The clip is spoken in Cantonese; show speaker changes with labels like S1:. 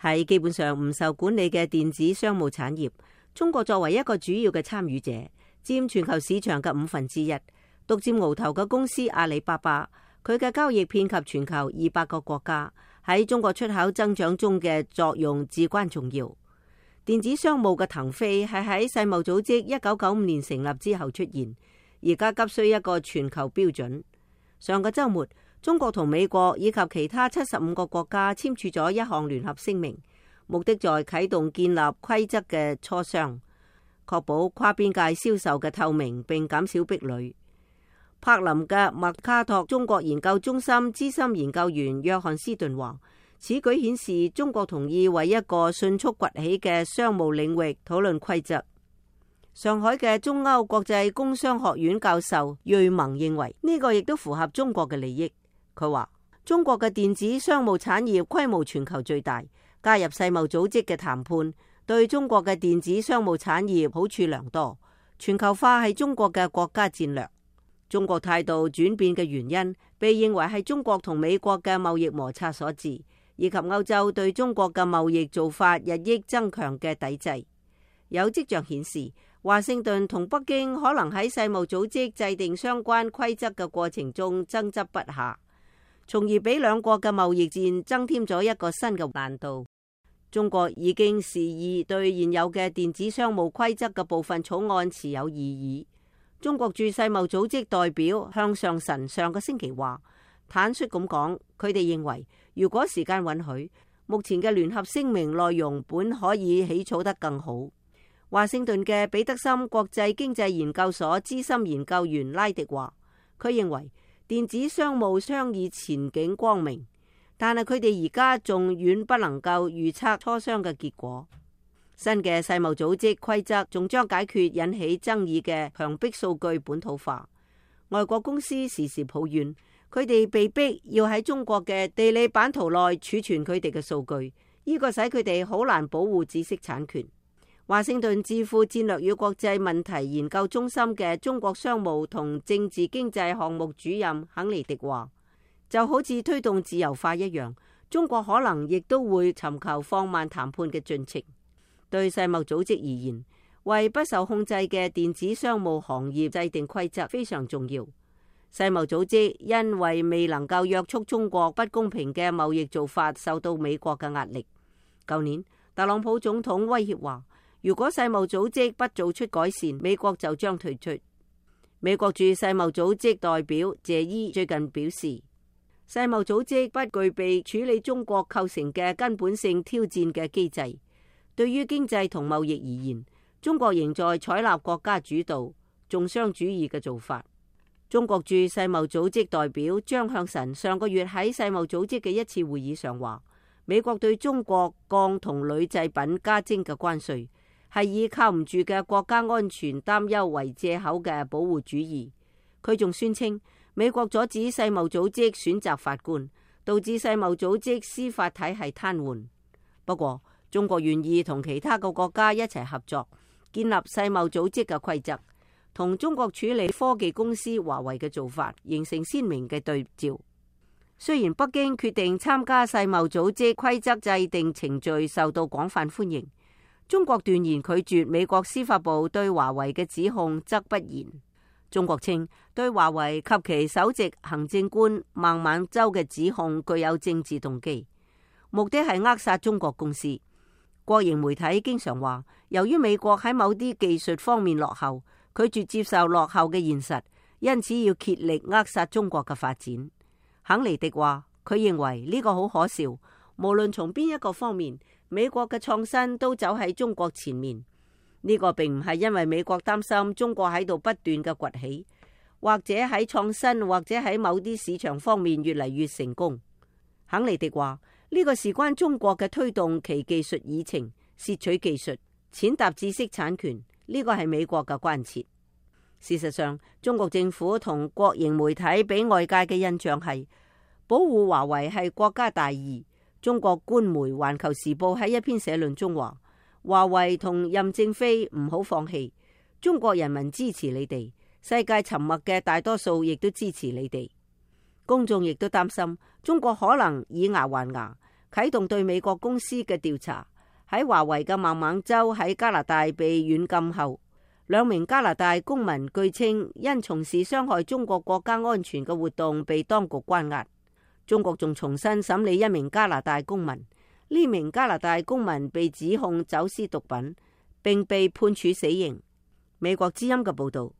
S1: 喺基本上唔受管理嘅電子商務產業，中國作為一個主要嘅參與者，佔全球市場嘅1/5，獨佔鰲頭嘅公司阿里巴巴，佢嘅交易遍及全球200個國家，喺中國出口增長中嘅作用至關重要。電子商務嘅騰飛係喺世貿組織1995年成立之後出現，而家急需一個全球標準。上個週末，中國同美國以及其他75個國家簽署咗一項聯合聲明，目的在啟動建立規則嘅磋商，確保跨邊界銷售嘅透明並減少壁壘。柏林嘅麥卡托中國研究中心資深研究員約翰斯頓話，此舉顯示中國同意為一個迅速崛起嘅商務領域討論規則。上海嘅中歐國際工商學院教授瑞蒙認為呢個亦都符合中國嘅利益。佢話中國嘅電子商務產業規模全球最大，加入世貿組織嘅談判對中國嘅電子商務產業好處良多。全球化係中國嘅國家戰略。中國態度轉變嘅原因被認為係中國同美國嘅貿易摩擦所致，以及歐洲對中國嘅貿易做法日益增強嘅抵制。有跡象顯示，華盛頓同北京可能喺世貿組織制定相關規則嘅過程中爭執不下，從而俾兩國嘅貿易戰增添咗一個新嘅難度。中國已經示意對現有嘅電子商務規則嘅部分草案持有異議。中國駐世貿組織代表向上臣上個星期話，坦率咁講，佢哋認為如果時間允許，目前嘅聯合聲明內容本可以起草得更好。華盛頓嘅彼得森國際經濟研究所資深研究員拉迪話，佢認為電子商務商議前景光明，但係佢哋而家仲遠不能夠預測磋商嘅結果。新嘅世貿組織規則仲將解決引起爭議嘅強迫數據本土化。外國公司時時抱怨，佢哋被逼要喺中國嘅地理版圖內儲存佢哋嘅數據，呢個使佢哋好難保護知識產權。華盛頓智庫戰略與國際問題研究中心嘅中國商務同政治經濟項目主任肯尼迪話，就好似推動自由化一樣，中國可能亦都會尋求放慢談判嘅進程。對世貿組織而言，為不受控制嘅電子商務行業制定規則非常重要。世貿組織因為未能夠約束中國不公平嘅貿易做法，受到美國嘅壓力。舊年，特朗普總統威脅話，如果世貿組織不做出改善，美國就將退出。美國駐世貿組織代表謝伊最近表示，世貿組織不具備處理中國構成嘅根本性挑戰嘅機制。對於經濟同貿易而言，中國仍在採納國家主導、重商主義嘅做法。中國駐世貿組織代表張向臣上個月喺世貿組織嘅一次會議上話，美國對中國鋼同鋁製品加徵嘅關稅係以靠唔住嘅國家安全擔憂為借口嘅保護主義。佢仲宣稱，美國阻止世貿組織選擇法官，導致世貿組織司法體系癱瘓。不過，中國願意同其他嘅國家一齊合作，建立世貿組織嘅規則，同中國處理科技公司華為嘅做法形成鮮明嘅對照。雖然北京決定參加世貿組織規則制定程序受到廣泛歡迎，中國斷然拒絕美國司法部對華為嘅指控則不然。中國稱對華為及其首席行政官孟晚舟嘅指控具有政治動機，目的係扼殺中國公司。國營媒體經常話，由於美國喺某啲技術方面落後，拒絕接受落後嘅現實，因此要竭力扼殺中國嘅發展。肯尼迪話，佢認為呢個好可笑，無論從邊一個方面，美國嘅創新都走喺中國前面。呢個並唔係因為美國擔心中國喺度不斷嘅崛起，或者喺創新或者喺某啲市場方面越嚟越成功。肯尼迪話，呢個事關中國嘅推動其技術議程、竊取技術、踐踏知識產權，呢個係美國嘅關切。事實上，中國政府同國營媒體俾外界嘅印象係保護華為係國家大義。中國官媒《環球時報》喺一篇社論中話，華為同任正非唔好放棄，中國人民支持你哋，世界沉默嘅大多數亦都支持你哋。公眾亦都擔心中國可能以牙還牙，啟動對美國公司嘅調查。喺華為嘅孟晚舟喺加拿大被軟禁後，2名加拿大公民據稱因從事傷害中國國家安全嘅活動被當局關押。中國仲重新審理1名加拿大公民，呢名加拿大公民被指控走私毒品，並被判處死刑。美國之音嘅報道。